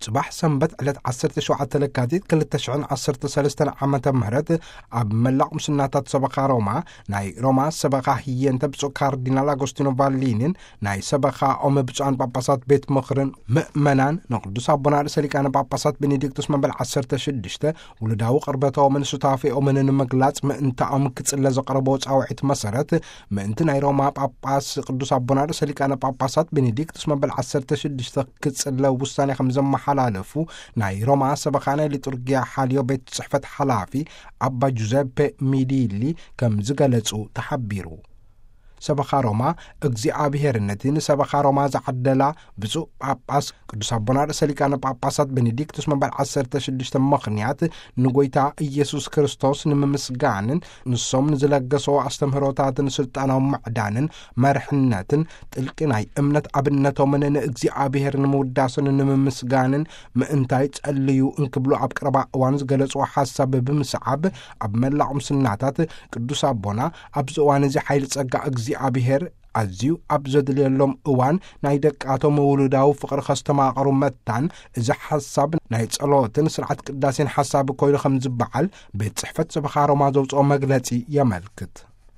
ጽባሕ ሰንበት ዕለት ዓሰርተ ሸውዓተ ለካቲት ክልተ ሽሕን ዓሰርተ ሰለስተን ዓመተ ምህረት ኣብ መላእ ቁምስናታት ሰበኻ ሮማ ናይ ሮማ ሰበኻ ህየንተ ብፁዕ ካርዲናል ኣጎስቲኖ ቫሊኒን ናይ ሰበኻኦም ብፁዓን ጳጳሳት ቤት ምኽርን ምእመናን ንቅዱስ ኣቦና ርእሰ ሊቃነ ጳጳሳት ቤኔዲክቱስ መበል ዓሰርተ ሽዱሽተ ውሉዳዊ ቅርበቶምን ሱታፌኦምን ንምግላጽ ምእንታኦም ክጽለ ዘቕረቦ ጻውዒት መሰረት ምእንቲ ናይ ሮማ ጳጳስ ቅዱስ ኣቦና ርእሰ ሊቃነ ጳጳሳት ቤኔዲክቱስ መበል ዓሰርተ ሽዱሽተ ክጽለ ውሳኔ ከም ዘመሓላለፉ ናይ ሮማ ሰበኻ ናይ ሊጡርጊያ ሓልዮ ቤት ጽሕፈት ሓላፊ ኣባ ጁዘፔ ሚዲሊ ከም ዝገለጹ ተሓቢሩ። ሰበኻ ሮማ እግዚኣብሔር ነቲ ንሰበኻ ሮማ ዝዓደላ ብፁዕ ጳጳስ ቅዱስ ኣቦና ርእሰ ሊቃነ ጳጳሳት ቤኔዲክቱስ መበል ዓሰርተ ሽዱሽተ ምኽንያት ንጎይታ ኢየሱስ ክርስቶስ ንምምስጋንን ንሶም ንዝለገሰዎ ኣስተምህሮታትን ስልጣናዊ ምዕዳንን መርሕነትን ጥልቂ ናይ እምነት ኣብነቶምን ንእግዚኣብሔር ንምውዳስን ንምምስጋንን ምእንታይ ጸልዩ እንክብሉ ኣብ ቀረባ እዋን ዝገለጽዎ ሓሳብ ብምስዓብ ኣብ መላእ ቁምስናታት ቅዱስ ኣቦና ኣብዚ እዋን እዚ ሓይሊ ጸጋ እግዚኣብሔር ኣዝዩ ኣብ ዘድልየሎም እዋን ናይ ደቃቶም ውሉዳዊ ፍቕሪ ከስተማቕሩ መታን እዚ ሓሳብ ናይ ጸሎትን ስርዓት ቅዳሴን ሓሳብ ኮይኑ ከም ዝበዓል ቤት ጽሕፈት ሰበኻ ሮማ ዘውፅኦ መግለጺ የመልክት።